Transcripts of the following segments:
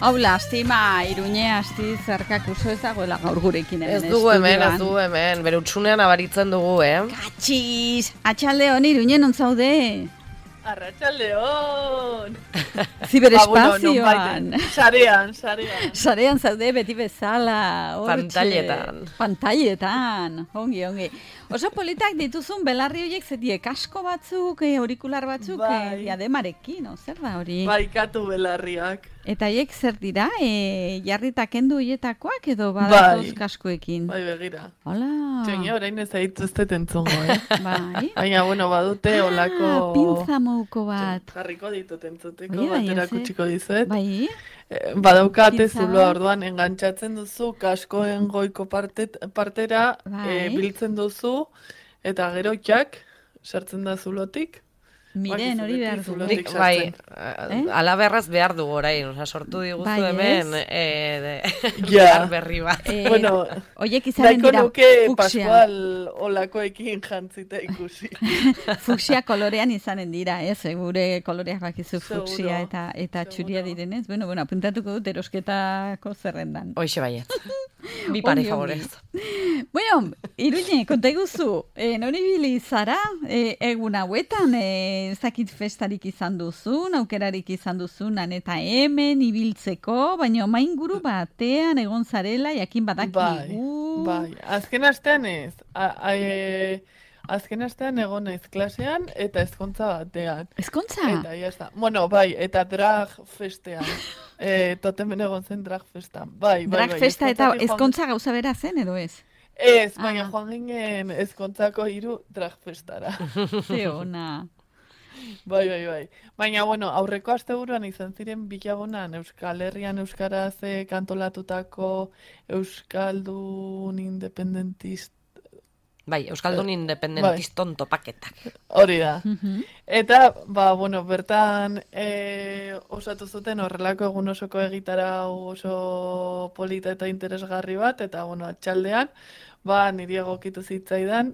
Hau lastima, Iruñe asti zerkak oso ez dagoela gaur gurekin hemen Ez dugu hemen, bere utsunean abaritzen dugu, Katxiz, atxalde hon Iruñe non zaude? Arratsaldeon. Ziberespazioan. Sarean. Sarean zaude beti bezala. Pantailetan. Ongi. Oso politak dituzun belarri horiek zetiek asko batzuk, aurikular batzuk, diademarekin, zer da hori? Baikatu belarriak. Eta haiek zer dira, jarrita kendu hietakoak edo badatoz kaskoekin? Bai, begira. Hola. Txenia, orain ez aituztet entzungo, Bai. Baina, badute olako... Pintza mouko bat. Jarriko ditut entzuteko, batera kutsiko dizuet. Bai. Badaukate zuloa orduan, engantzatzen duzu, kaskoen goiko partera, biltzen duzu, eta gero jak, sartzen da zulotik. Miren, hori behar du. Bai, alaberraz behar du orain, sortu diguzu hemen berri bat. Oiek izanen dira fuksia. Pascual olakoekin jantzita ikusi. Fuksia kolorean izanen dira, gure koloreak bakizu fuksia eta txuria direnez. Bueno, apuntatuko dut erosketako zerrendan. Hoixe baiet. Bi pare favorez. Bueno, Iruñe, konta iguzu, nori bili zara, egun hauetan, zakit festarik izan duzun, aukerarik izan duzunan, eta hemen ibiltzeko, baina mainguru batean egon zarela, jakin badakigu. Bai, azken astean ez. Azken astean egon naiz klasean eta ezkontza batean. Ezkontza? Eta jazta. Bueno, eta drag festean. Totemen egon zen drag festan. Bai. Drag festa eta ezkontza gauza bera zen edo ez? Ez, baina joan ginen ezkontzako 3 drag festara. Ze ona. Bai. Baina, aurreko asteburuan izan ziren bilagunan Euskal Herrian euskaraz kantolatutako Euskaldun independentist. Bai, Euskaldun independentiston topaketak. Hori da. Eta, bertan osatu zuten horrelako egun osoko egitara oso polita eta interesgarri bat, eta, atxaldean, niri egokitu zitzaidan,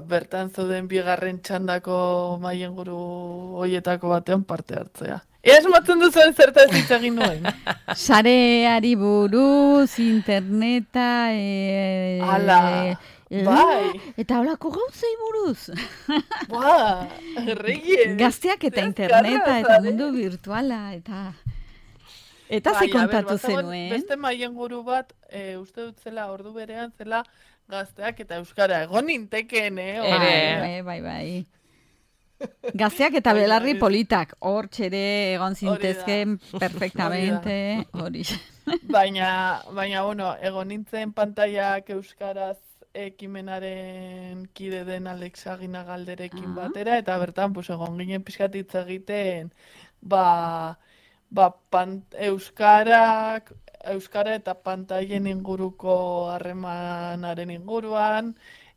bertan zeuden bigarren txandako maienguru hoietako batean parte hartzea. Ea esmatzen duzuen zertaz hitz egin nuen? Sareari buruz, interneta... Ala, bai. Eta holako gauzei buruz. Erregien. Gazteak eta interneta eta mundu virtuala, eta ze kontatu zenuen? Beste maienguru bat, uste dut zela, ordu berean zela, gazteak eta euskara. Egon nintekeen, Bai. Gazteak eta belarri politak, hor txere egon zintezken perfectamente, hori. Baina, egon nintzen pantaiak euskaraz ekimenaren kide den Alex Aginagalderekin batera, eta bertan, egon ginen pixkatitza egiten, euskara eta pantaien inguruko harremanaren inguruan,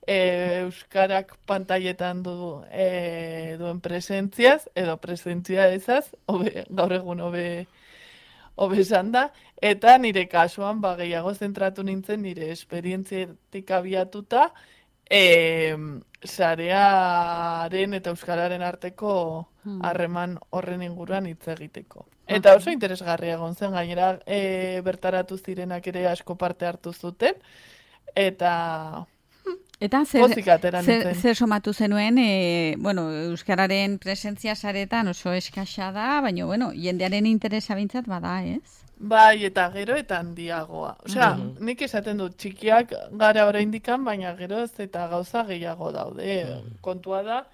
euskarak pantailetan duen presentziaz, edo presentzia ezaz, gaur egun hobe esan da, eta nire kasuan gehiago zentratu nintzen nire esperientzietik abiatuta, sarearen eta euskararen arteko harreman horren inguruan hitz egiteko. Eta oso interesgarria egon zen, gainera bertaratu zirenak ere asko parte hartu zuten, eta zer somatu zenuen, euskararen presentzia saretan oso eskasa da, baina, jendearen interesa bintzat bada, ez? Bai, eta gero eta handiagoa. Osea, nik esaten dut, txikiak gara oraindikan, baina geroz eta gauza gehiago daude. Kontua da,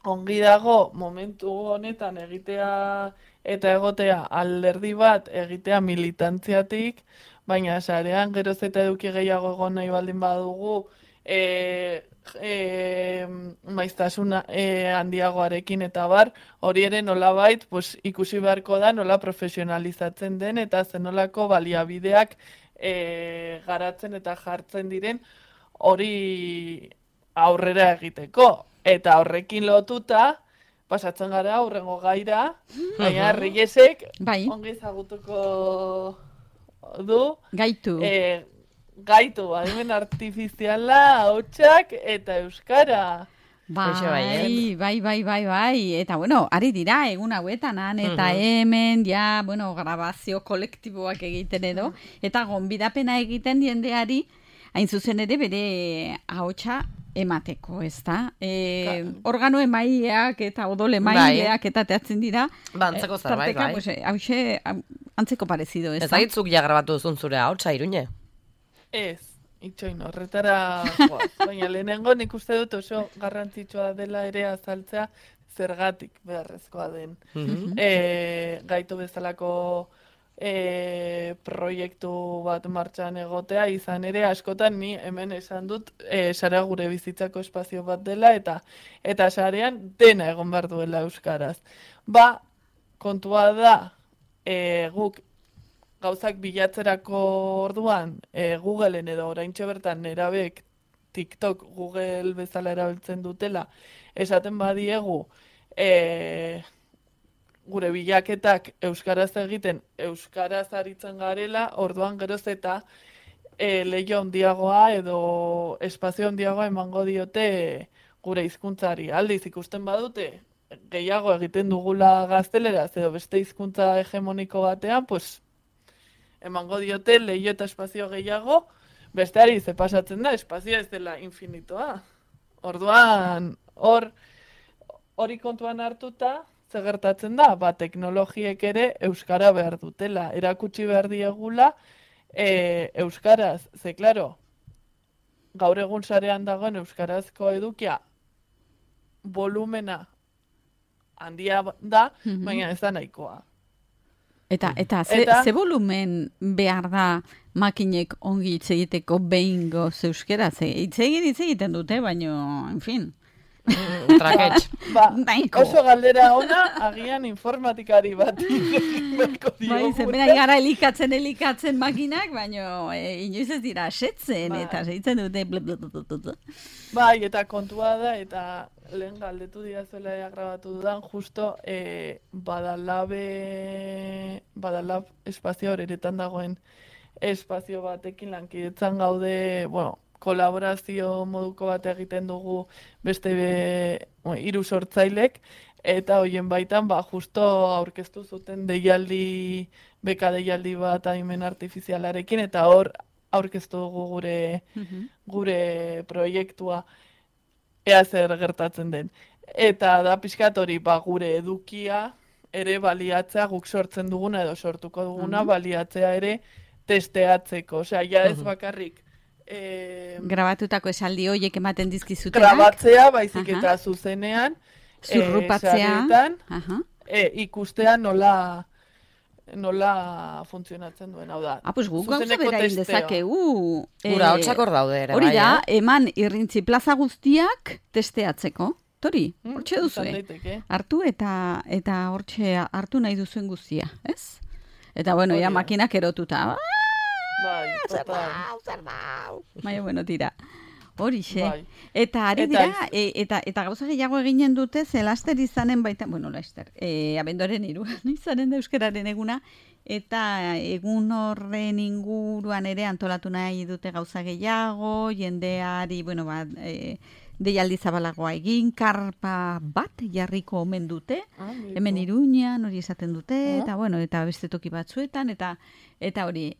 ongi dago momentu honetan egitea eta egotea alderdi bat egitea militantziatik, baina sarean geroz eta eduki gehiago egon nahi baldin badugu maiztasuna handiagoarekin eta bar, hori ere nolabait ikusi beharko da nola profesionalizatzen den eta zenolako baliabideak garatzen eta jartzen diren hori aurrera egiteko. Eta horrekin lotuta, pasatzen gara aurrengo gaira, baina Reyesek ongi ezagutuko du. Gaitu. Gaitu, adimen artifiziala, hautsak eta euskara. Bai. Eta, bueno, ari dira, egun hauetan, eta hemen, grabazio kolektiboak egiten edo, eta gonbidapena egiten jendeari, hain zuzen ere bere ahotsa emateko, ez da? Organo emaileak eta odol emaileak eta teatzen dira. Antzeko zerbait, bai. Hauxe, antzeko parezido, ez da? Ez agitzuk ja grabatu duzun zure ahotsa, Iruñe? Ez. Itxoin, horretara joaz. Baina lehenengo nik uste dut oso garrantzitsua dela ere azaltzea zergatik beharrezkoa den. Gaitu bezalako proiektu bat martxan egotea, izan ere askotan ni hemen esan dut sarea gure bizitzako espazio bat dela eta sarean dena egon behar duela euskaraz. Kontua da guk gauzak bilatzerako orduan Googleen edo oraintxe bertan nerabek TikTok Google bezala erabiltzen dutela esaten badiegu gure bilaketak euskaraz egiten euskaraz aritzen garela, orduan geroz eta leiho handiagoa edo espazio handiagoa emango diote gure hizkuntzari. Aldiz ikusten badute gehiago egiten dugula gazteleraz edo beste hizkuntza hegemoniko batean, pues emango diote leiho eta espazio gehiago, besteari ze pasatzen da, espazioa ez dela infinitoa. Orduan, hori kontuan hartuta, ze gertatzen da, teknologiek ere euskara behar dutela, erakutsi behar diegula euskaraz, ze klaro, gaur egun sarean dagoen euskarazko edukia volumena handia da, baina ez da nahikoa. Eta ze volumen behar da makinek ongi hitz egiteko behingoz euskeraz? Hitz egiten dute, baina, en fin. Traketx. Oso galdera ona, agian informatikari bat. Bera gara elikatzen makinak, baina inoiz ez dira asetzen, eta zeitzen dute. Eta kontua da, eta lehen galdetu diazuela grabatu dudan, justo Badalab espazio horeretan dagoen espazio batekin lankidetzan gaude, kolaborazio moduko bat egiten dugu beste 3 sortzailek, eta hoien baitan justo aurkeztu zuten beka deialdi bat adimen artifizialarekin, eta hor aurkeztu dugu gure proiektua ea zer gertatzen den. Eta da pixkat hori gure edukia ere baliatzea, guk sortzen duguna edo sortuko duguna baliatzea ere testeatzeko. Osea, ja ez bakarrik grabatutako esaldi horiek ematen dizkizutenak. Grabatzea, baizik eta zuzenean, zurrupatzea, ikustea nola funtzionatzen duen, hau da. Pues guk gauza bera indezakegu. Gura, hotxakor daude ere, hori da, eman irrintzi plaza guztiak testeatzeko. Tori, hortxe duzue. Hartu eta hortxe hartu nahi duzuen guztia, ez? Eta bueno, ja makinak erotuta. Zer dau. Baina, tira. Horixe. Eta ari dira, eta gauza gehiago eginen dute, ze laster izanen baita, laster, abenduaren 3 izanen da euskararen eguna, eta egun horren inguruan ere antolatu nahi dute gauza gehiago, jendeari, deialdi zabalagoa egin, karpa bat jarriko omen dute, hemen Iruñan hori esaten dute, eta beste toki batzuetan, eta hori,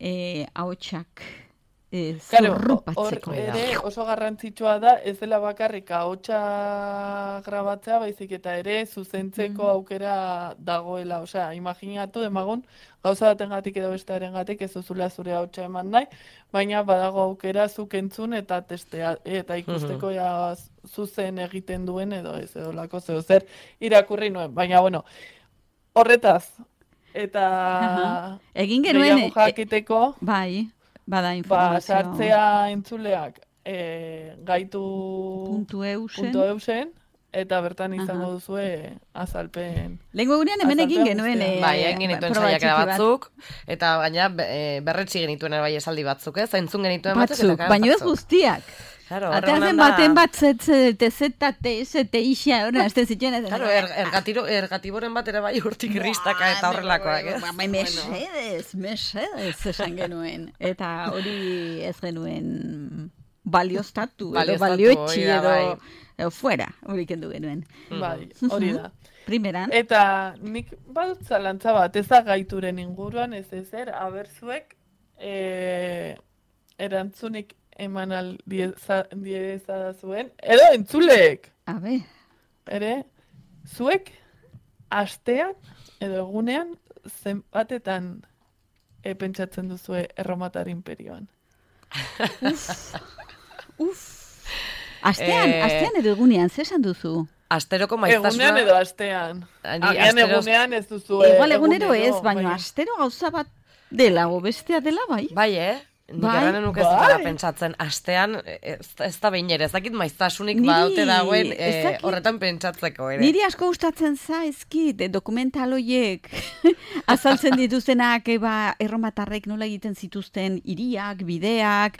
ahotsak zurrupatzeko. Hor ere oso garrantzitsua da, ez dela bakarrik ahotsa grabatzea, baizik eta ere zuzentzeko aukera dagoela. Osea, imaginatu demagun, gauza batengatik edo bestearengatik ez duzula zure ahotsa eman nahi, baina badago aukera zuk entzun eta testea, eta ikusteko zuzen egiten duen edo ez edolako zer irakurri nuen. Baina, horretaz, eta egin genuen jakiteko, bada informazio. Sartzea entzuleak gaitu.eusen, eta bertan izango duzue azalpen. Lehenko egunean hemen egin genuen. Egin genituen saiakera batzuk, eta baina berretsi genituen bai esaldi batzuk, ez? Entzun genituen batzuk. Baina ez guztiak. Ateazen baten bat TZTSTIxa, hori, azten zituen. Ergatiboren bat ere bai urtik ristaka eta horrelakoak, ez? Mesedez, esan genuen. Eta hori ez genuen balioztatu, edo Balioztatu, balioetxi, hori da, edo fuera, hori kendu genuen. Bai, hori da. Primeran. Eta nik badut zalantza bat, ez da gaituren inguruan, ez ezer, abertzuek erantzunik eman diezadazuen, edo entzuleek, A ber, ere, zuek astean edo egunean zenbatetan pentsatzen duzue Erromatar imperioan. astean edo egunean, zer esan duzu? Asteroko maiztasuna... Egunean edo astean. Agian egunean ez duzu. Igual egunero ez, baina astero gauza bat dela, o bestea dela, bai? Bai, Nik erranen nuke zutela pentsatzen, astean, ez da behin ere, ez dakit maiztasunik baute dagoen horretan pentsatzeko ere. Niri asko gustatzen zaizkit, dokumental horiek azaltzen dituztenak, erromatarrek nola egiten zituzten hiriak, bideak,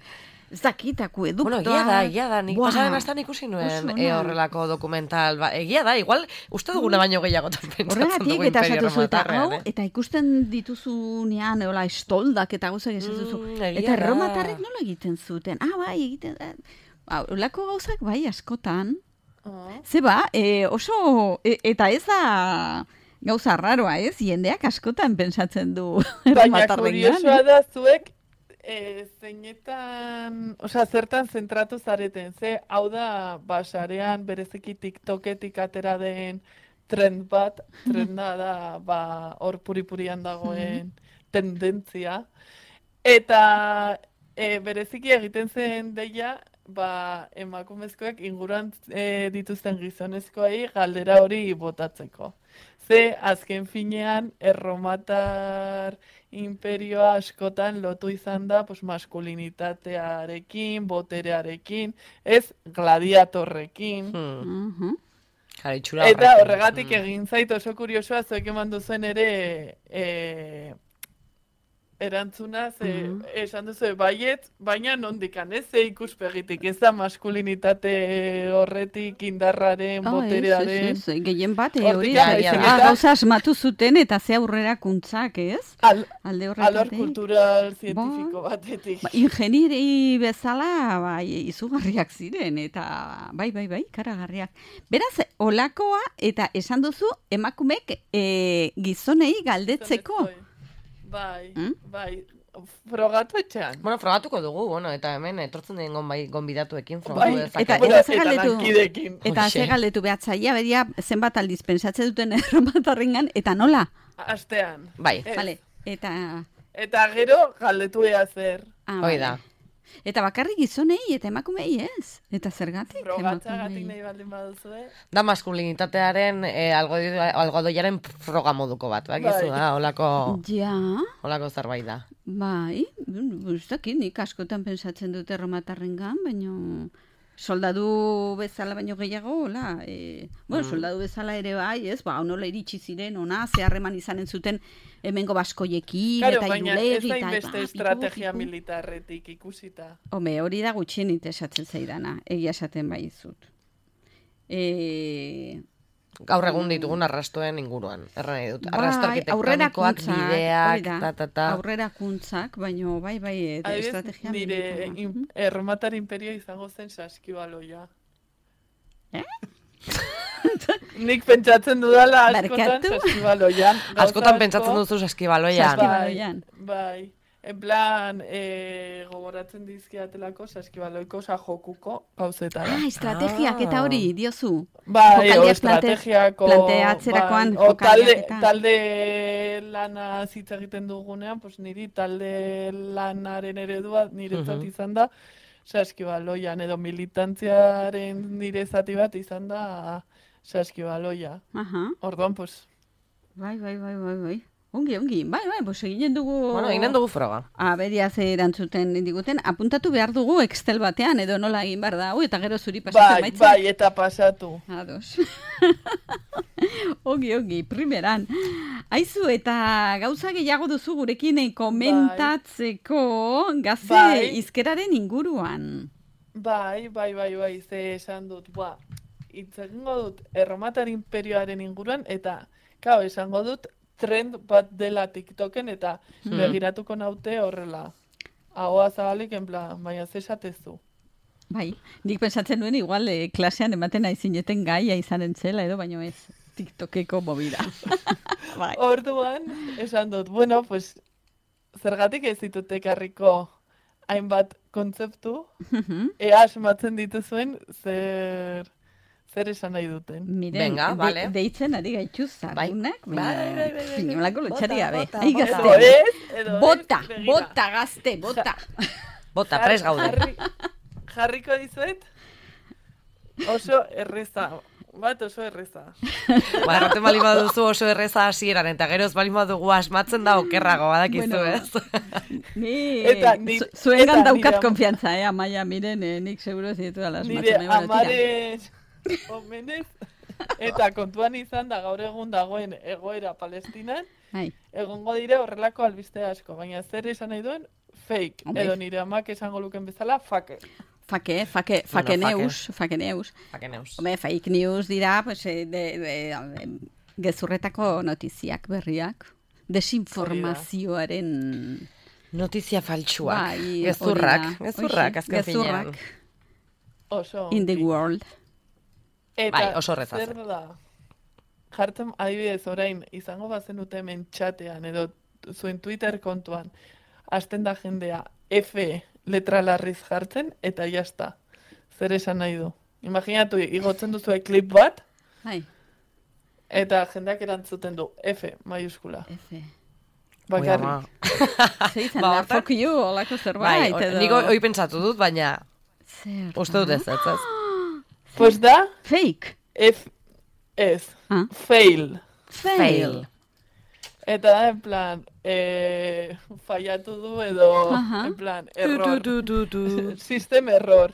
ez dakit, akueduktoa. Bueno, egia da, nik pasaren astan ikusi nuen horrelako dokumental. Egia da, igual, uste duguna baino gehiagotan pentsatzen dugu imperio erromatarrean. Eta ikusten dituzunean, estoldak eta gauzak esan duzu. Eta erromatarrek nola egiten zuten? Bai, egiten... Olako gauzak bai askotan. Zeba, oso... Eta ez da... Gauza raroa, ez? Jendeak askotan pentsatzen du erromatarrek. Baina kuriosoa da zuek zertan zentratu zareten, hau da, sarean bereziki TikToketik atera den trenda da, hor puripurian dagoen tendentzia, eta bereziki egiten zen deia, emakumezkoek inguruan dituzten gizonezkoei galdera hori botatzeko. Azken finean, Erromatar imperioa askotan lotu izan da maskulinitatearekin, boterearekin, ez gladiatorrekin. Eta horregatik egin zait oso kuriosoa, zuek eman duzuen ere erantzuna, esan duzu baiet, baina nondikan, ez ikuspegitik, ez da maskulinitate horretik indarraren, boterearen. Ez, gehien bat, hori gauza asmatu zuten eta ze aurrerakuntzak, ez? Alde horretatik. Alor kultural zientifiko batetik. Ingenieri bezala, izugarriak ziren, eta bai, karagarriak. Beraz, olakoa, eta esan duzu, emakumek gizonei galdetzeko. Bai, frogatu etxean. Bueno, frogatuko dugu, eta hemen etortzen den gonbidatuekin frogatu dezakegun. Eta ze galdetu behatzaia, beria zenbat aldiz pensatze duten erromatarrengan, eta nola? Astean. Bai. Vale, eta gero galdetu ea zer. Hoi da. Eta bakarrik gizonei eta emakumei ez? Eta zergatik? Frogatzagatik nahi baldin baduzu, Da maskulinitatearen algodoiaren froga moduko bat, bakizu da, holako zerbait da. Bai, ustakit, nik askotan pensatzen dute erromatarrengan, baina soldadu bezala baino gehiago, soldadu bezala ere bai, ez, nola iritsi ziren, ze harreman izanen zuten hemengo baskoiekin, eta irulegi, baina ez da inbeste estrategia militarretik ikusita. Hori da gutxien esatzen zaidana, egia esaten bai izut. Gaur egun ditugun arrastuen inguruan, erran dut. Arrasto arkitektonikoak, bideak, aurrerakuntzak, baina bai, estrategia militarra. Nire Erromatar imperio izango zen saskibaloia. Nik pentsatzen dudala askotan saskibaloian. Askotan pentsatzen duzu saskibaloian. Bai. En plan, gogoratzen dizkiatelako saskibaloiko jokuko gauzetara. Estrategiak eta hori, diozu. Bai, estrategiako. Planteatzerakoan jokaliak eta. Talde lana hitz egiten dugunean, niri talde lanaren eredua niretzat izan da saskibaloian, edo militantziaren nire zati bat izan da saskibaloia. Orduan, Bai. Ongi. Bai, eginen dugu... eginen dugu froga. Beria ze erantzuten diguten. Apuntatu behar dugu Excel batean, edo nola egin behar da, eta gero zuri pasatu maitzen. Bai, eta pasatu. Ados. Ongi, primeran. Aizu, eta gauza gehiago duzu gurekin komentatzeko gaze izkeraren inguruan. Bai, ze esan dut, itzengo dut Erromatar imperioaren inguruan, eta, esango dut, trend bat dela TikToken eta begiratuko naute horrela. Ahoa zabalik, en plan, baina ze esatezu. Bai, nik pensatzen nuen igual klasean ematen aizineten gaia izanen zela edo, baino ez TikTokeko movida. Bai. Orduan, esan dut, bueno, pues, zergatik ez ditut ekarriko hainbat kontzeptu, ea asmatzen dituzuen zer esan nahi duten. Miren, venga, vale. Deitzen ari gaitu zarunak, Bai. Pinolako lotxaria, be. Bota, gazte, bota. Bota, pres gaude. Jarriko dizuet, oso erreza. Bat oso erreza. Erraten bali baduzu oso erreza hasieran eta geroz bali badugu asmatzen da okerrago, badakizu, ez? Zuengan daukat konfiantza, Amaia, miren, nik seguro ez ditu dala asmatzen. Nire amaren omenez, eta kontuan izan da gaur egun dagoen egoera Palestinan, egongo dire horrelako albiste asko, baina zer esan nahi duen, fake, edo nire amak esango luken bezala, fake. Fake news. Home, fake news dira, pues, gezurretako notiziak berriak. Desinformazioaren... Notizia faltsuak. Gezurrak, azken finean. In the world. Eta oso horretaz. Zer da, jartzen adibidez orain, izango bazen dute hemen txatean, edo zuen Twitter kontuan, hasten da jendea F letra larriz jartzen, eta jazta. Zer esan nahi du. Imaginatu, igotzen duzu klip bat, eta jendeak erantzuten du F, maiuskula. F. Bakarrik. Zeizan da, fuck you, olako zerbait. Nik hoi pentsatu dut, baina uste dut ez. Pues da? Fake. F, ez. Fail. Eta da, en plan, fallatu du edo, en plan, error. System error.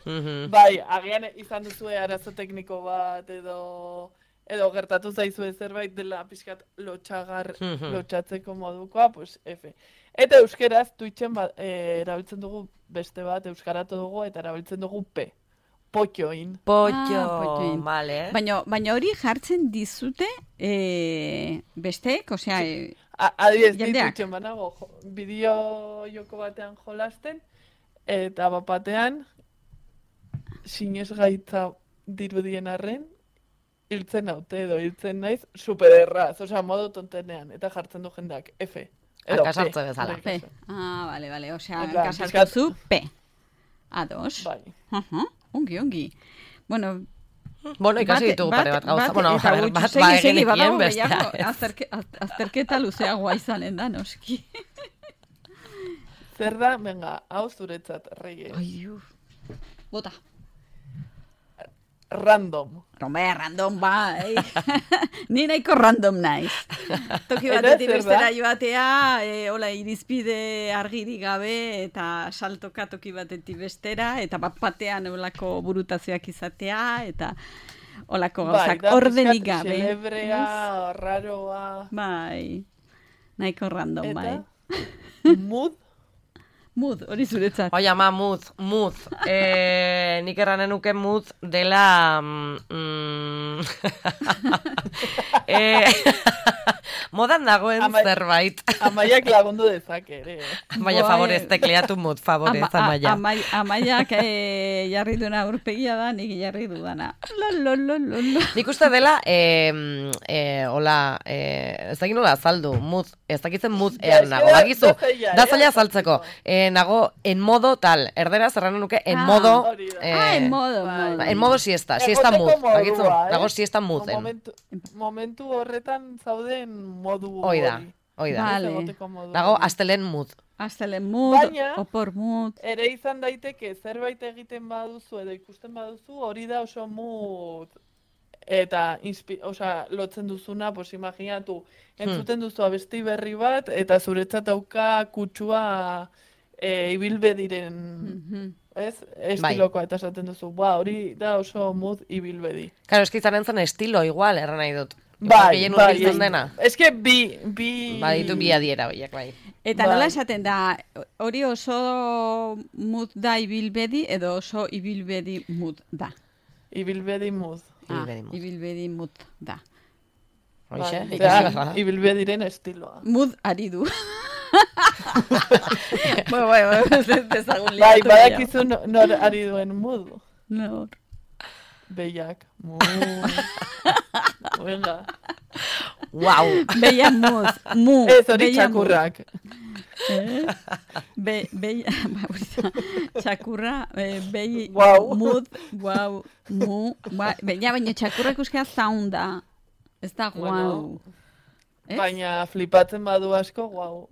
Bai, agian izan duzue arazo tekniko bat edo gertatu zaizue zerbait dela pixkat lotxatzeko modukoa, pues F. Eta euskeraz, Twitchen erabiltzen dugu beste bat, euskaratu dugu eta erabiltzen dugu P. Potxoin. Potxoin, vale. Baina hori jartzen dizute besteek, osea... Adibidez, ditutxen banago, bideo joko batean jolasten, eta bapatean, sinez gaitza dirudien arren, hiltzen haute edo hiltzen naiz, supererraz, osea, modu tontenean, eta jartzen du jendeak, F. Kasartze bezala. P. Vale, osea, kasartzu P. A2. Bai. Ongi. Bueno, ikasi ditugu pare bat gauza. Bueno, bat egenekien bestea. Azterketa luzeagoa izanen da, noski. Zer da, venga, hau zuretzat, Reyes. Bota. Random. Random, bai. Ni nahiko random naiz. Toki batetik bestera joatea, hola, irizpide argirik gabe, eta saltoka toki batetik bestera, eta bat batean holako burutazioak izatea, eta holako gauzak ordenik gabe. Celebrea, raroa. Bai, nahiko random, bai. Mood, hori zuretzat. Oi, ama, mood. Nik erranen nuke mood dela... modan dagoen zerbait. Amaiak lagundu dezake, ere. Baina favorez, tekleatu mood, favorez, Amaia. Amaiak jarri duena urpegia da, nik jarri dudana. Nik uste dela, hola, ez dakit nola azaldu, mood, ez dakitzen mood ean nago, bakizu, da zaila azaltzeko. Nago en modo tal, erderaz erranen nuke en modo... en modo. En modo siesta mood, bakizu, nago siesta mood. Momentu horretan zauden modu hori. Oida. Vale. Nago astelen mood. Astelen mood, opor mood. Ere izan daiteke zerbait egiten baduzu edo ikusten baduzu, hori da oso mood. Eta, lotzen duzuna, pues imaginatu, entzuten duzu abesti berri bat, eta zuretzat dauka kutsua ibilbediren, ez? Estilokoa, eta esaten duzu, hori da oso mood ibilbedi. Claro, eskizan entzan estilo igual, erran nahi dut. Bai. Eske bi... Baditu bi adiera horiek, bai. Eta nola esaten da, hori oso mood da ibilbedi, edo oso ibilbedi mood da? Ibilbedi mood. Ibilbedi mood da. Hoxe? Ibilbediren estiloa. Mood ari du. Bueno, dezagun liatu. Bai, badakizu nor ari duen mudu. Nor. Behiak. Venga. Wow. Beia muz. Mu. Ez hori beia mu. txakurrak. Txakurra, Guau. mud, guau, mu, baina txakurra ikuskea zaunda. Ez da guau. Baina flipatzen badu asko, guau.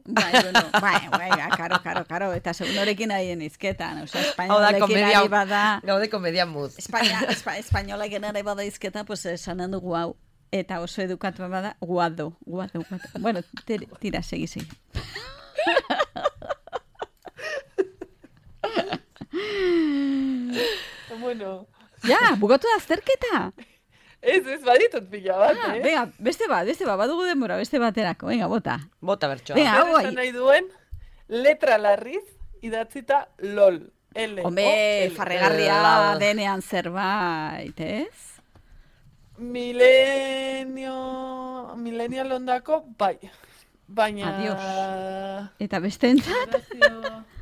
Karo, eta segunorekin ahien izketan, oza, Hau da, espainolekin komedia, ari bada, gaude komedia muz. espainolekin ari bada izketan, pues esanen du guau. Eta oso edukatu bada, guado. Bueno, tira, segi. Bueno. Ja, bugatu da azterketa. Ez baditut pila bat, Venga, beste bat, badugu denbora, beste baterako. Venga, bota. Bota bertsoa. Venga, hau Esan nahi duen, letra larriz, idatzita LOL. Hombre, farregarria denean zerbait, ez? Millennial ondako, bai. Baina... Adios. Eta beste entzat?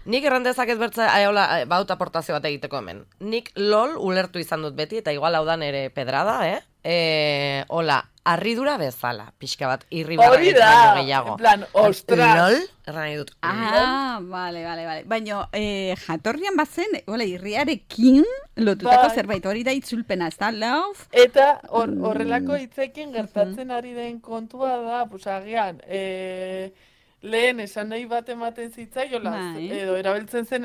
Nik errandezak ez bertza, baut aportazio bat egiteko hemen. Nik LOL ulertu izan dut beti, eta igual hau dan ere pedrada, hola, arridura bezala, pixka bat, irribarra gehiago. En plan, ostras. LOL, erran nahi dut. Vale. Baina, jatorrian bazen, irriarekin lotutako zerbait, hori da itzulpena, ez da, love? Eta horrelako hitzekin gertatzen ari den kontua da, pues agian, lehen esan nahi bat ematen zitzaiola, edo erabiltzen zen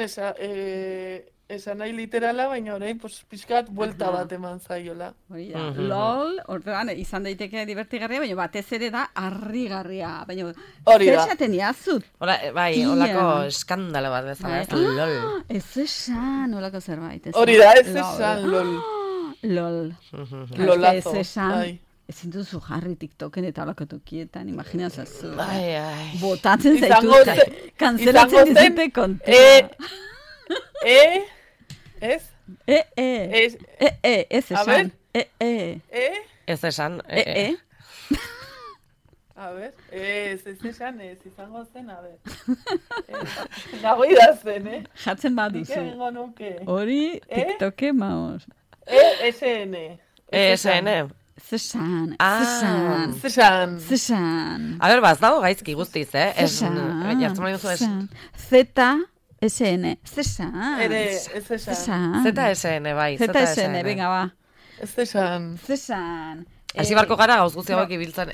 esan nahi literala, baina orain pixkat buelta bat eman zaiola. LOL, orduan, izan daiteke divertigarria, baina batez ere da harrigarria. Baina, hori da. zer esaten iazut? Bai, olako eskandalo bat bezala, ez LOL. Ez esan, olako zerbait. Hori da, ez esan LOL. LOL. Lolazo. Ez esan. Ezin duzu jarri TikToken eta olako tokietan, imaginazazu. Botatzen zaitut, kanzelatzen dizute kontua. Ez? Ez esan. Ez esan. A ber, ez esan, ez izango zen, a ber. Nago idazten, Jatzen baduzu. Egingo nuke. Hori TikToke maos. ESN. Zesan. A ber, baz dago gaizki guztiz, Jartzen mani duzu ZSN. Zesan. Ere, ez esan. ZSN, bai. ZSN, venga, ba. Ez esan. Hasi barko gara gauz guzti hauek ibiltzen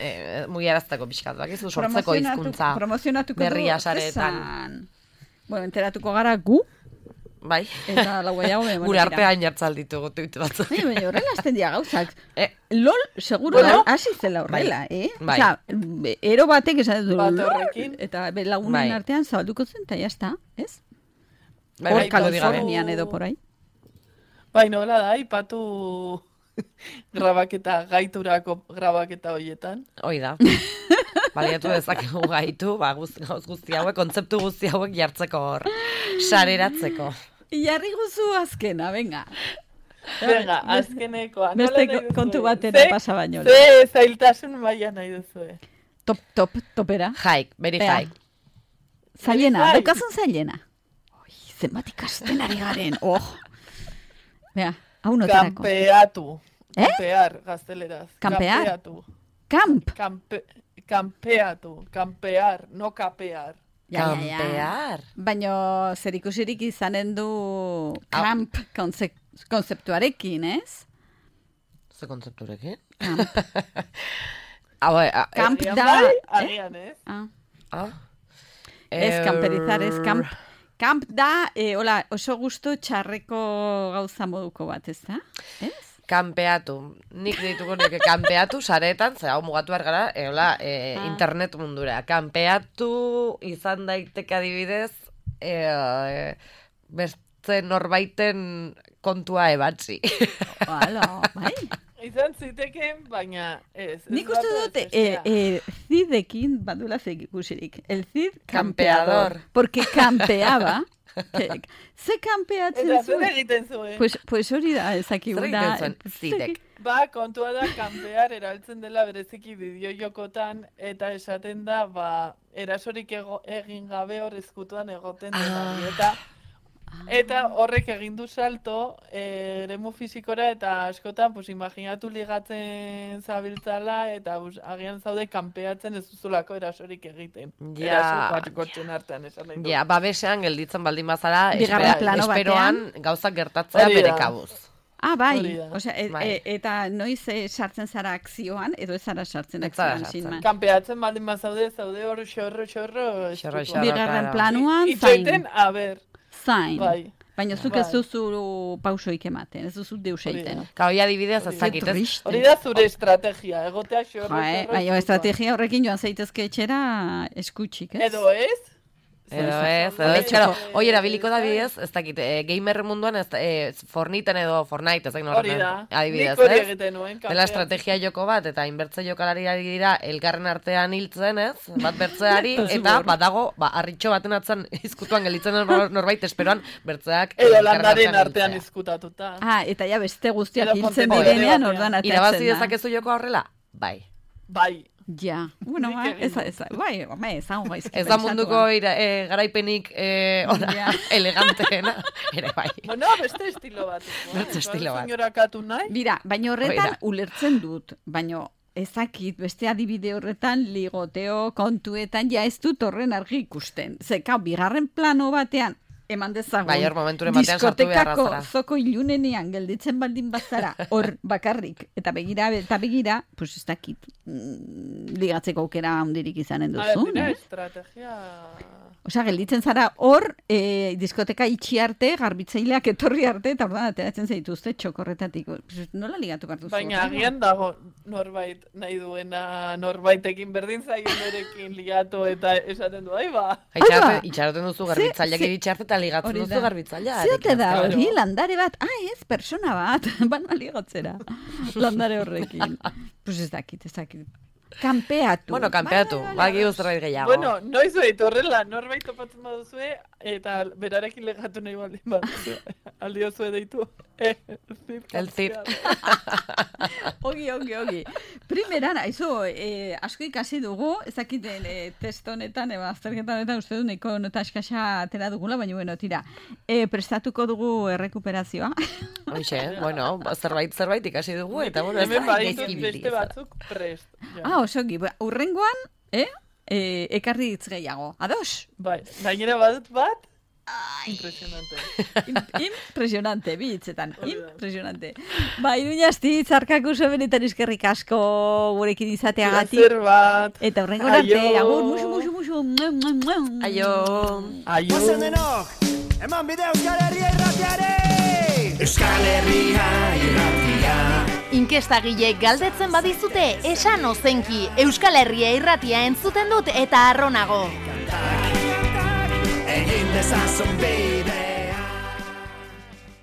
mugiarazteko pixkat, bakizu sortzeko hizkuntza berria sareetan. Bueno, enteratuko gara gu. Bai. Eta lau gehiago. Gure artean jartzal ditugu tuit batzuk. Baina horrela azten dira gauzak. LOL, seguro hasi zela horrela, Bai. Osa, ero batek esan dut Bat LOL, horrekin. eta lagunen artean zabalduko zen, eta jazta, ez? Bai, Hor Kalifornian edo por ahí. Bai, nola da, ipatu grabaketa, gaiturako grabaketa horietan. Hoi da. Baliatu dezakegu gaitu, gauz guzti hauek, kontzeptu guzti hauek jartzeko hor, sareratzeko. Jarri guzu azkena, venga. Venga, azkenekoa. Beste kontu batera pasa baino. Ze zailtasun maila nahi duzue. Topera. Hike, very hike. Zailena, daukazun zailena. Zenbat ikasten ari garen. Bea, hau noterako. Kampeatu. Kampear, gazteleraz. Kampear? Kamp. Kampeatu. Kampear, no kapear. Kampear. Baina zer ikusirik izanen du kamp konzeptuarekin, ez? Ze kontzeptuarekin? Kamp. Kamp da. Agian, ez? Ez kamperizar, ez kamp. Kamp da, oso gustu txarreko gauza moduko bat, ez da? Ez? Kampeatu. Nik dituko nike kampeatu saretan, hau mugatu behar gara, internet mundura. Kampeatu izan daiteke adibidez, beste norbaiten kontua ebatzi. Bai. Izan zitekeen, baina ez. Nik uste dut, Cidekin badula ikusirik. El Cid Campeador. Porque campeaba, Ze kanpeatzen Eta zuen? zer egiten zuen? Pues hori da, ezakiguna. Zer egiten zuen zidek? Ba, kontua da, kanpear erabiltzen dela bereziki bideo-jokotan, eta esaten da, erasorik egin gabe hor ezkutuan egoten dela. Eta horrek egin du salto eremu fizikora, eta askotan, pues, imaginatu ligatzen zabiltzala, eta agian zaude kanpeatzen ez duzulako erasorik egiten. Eraso bat gotxen artean, esan nahi du. Ja, babesean gelditzen baldin bazara, Bigarren plano esperoan gauzak gertatzea bere kabuz. Bai, osea, eta noiz sartzen zara akzioan, edo ez zara sartzen akzioan, sinman. Kanpeatzen baldin bazaude, zaude hor xorro. Bigarren planuan, itxoiten, zain. Bai. Baina zuk ez duzu pausoik ematen, ez duzu deus egiten. Hori adibidez, ezakitez. Hori da zure estrategia, egotea xorro. Baina estrategia horrekin joan zaitezke etxera eskutsik, ez? Edo ez? Hoi erabiliko da bidez, ez dakit, gamer munduan, Forniten edo Fortnite, ez dakit hori da, adibidez, nik hori egiten nuen. Dela estrategia joko bat, eta inbertze jokalari dira elkarren artean hiltzen, ez? Bat bertzeari, eta badago, harritxo baten atzan izkutuan gelitzen norbait, esperoan bertzeak edo landaren artean izkutatuta. Eta ja beste guztiak hiltzen direnean ordan atatzen da. Irabazi dezakezu joko horrela? Bai. Ja, bueno, bai, ezango gaizki. Ez da munduko garaipenik eleganteena, ere bai. Bueno, beste estilo bat. Beste estilo bat. Señorakatu nahi? Bira, baina horretan ulertzen dut, baina ezakit, beste adibide horretan, ligoteo kontuetan, ja ez dut horren argi ikusten. Zeka, bigarren plano batean, eman dezagun. Bai, hor momenturen batean sartu beharra zara. Diskotekako zoko ilunenean gelditzen baldin bazara, hor bakarrik, eta begira, pues ez dakit, ligatzeko aukera handirik izanen duzu. Estrategia... Osea, gelditzen zara hor, diskoteka itxi arte, garbitzaileak etorri arte, eta ordan ateratzen zaituzte txokorretatik. Nola ligatu hartu zu? Baina agian dago norbait nahi duena, norbaitekin berdin zaien berekin ligatu eta esaten du, itxaroten duzu garbitzaileak iritsi arte eta ligatzen duzu garbitzaileak. Ziote da hori, landare bat, ez, persona bat, bana ligatzera, landare horrekin. Pues ez dakit. Kanpeatu. Bueno, kanpeatu. Bagi zerbait gehiago. Bueno, noiz behit horrela, norbait topatzen baduzue, eta berarekin legatu nahi baldin baduzue. Aldiozue deitu. El zir. Ogi. Primeran, aizu, asko ikasi dugu, ezakiten test honetan, azterketan honetan uste du neko nota eskasa atera dugula, baina bueno, tira. Prestatuko dugu errekuperazioa. Hoxe, bueno, zerbait ikasi dugu, eta bueno, hemen baditut beste batzuk prest. Osoki, urrengoan, ekarri hitz gehiago. Ados? Bai, gainera badut bat, impresionante. Impresionante, bi hitzetan. Impresionante. Iruñasti, zarkak oso benetan eskerrik asko gurekin izateagatik. Placer bat. Eta urrengo arte, agur, musu. Aio. Pasen denok, eman bide Euskal Herria irratiare! Euskal Herria irratia. Inkestagileek galdetzen badizute, esan ozenki, Euskal Herria irratia entzuten dut eta arronago. Egin dezazun beira.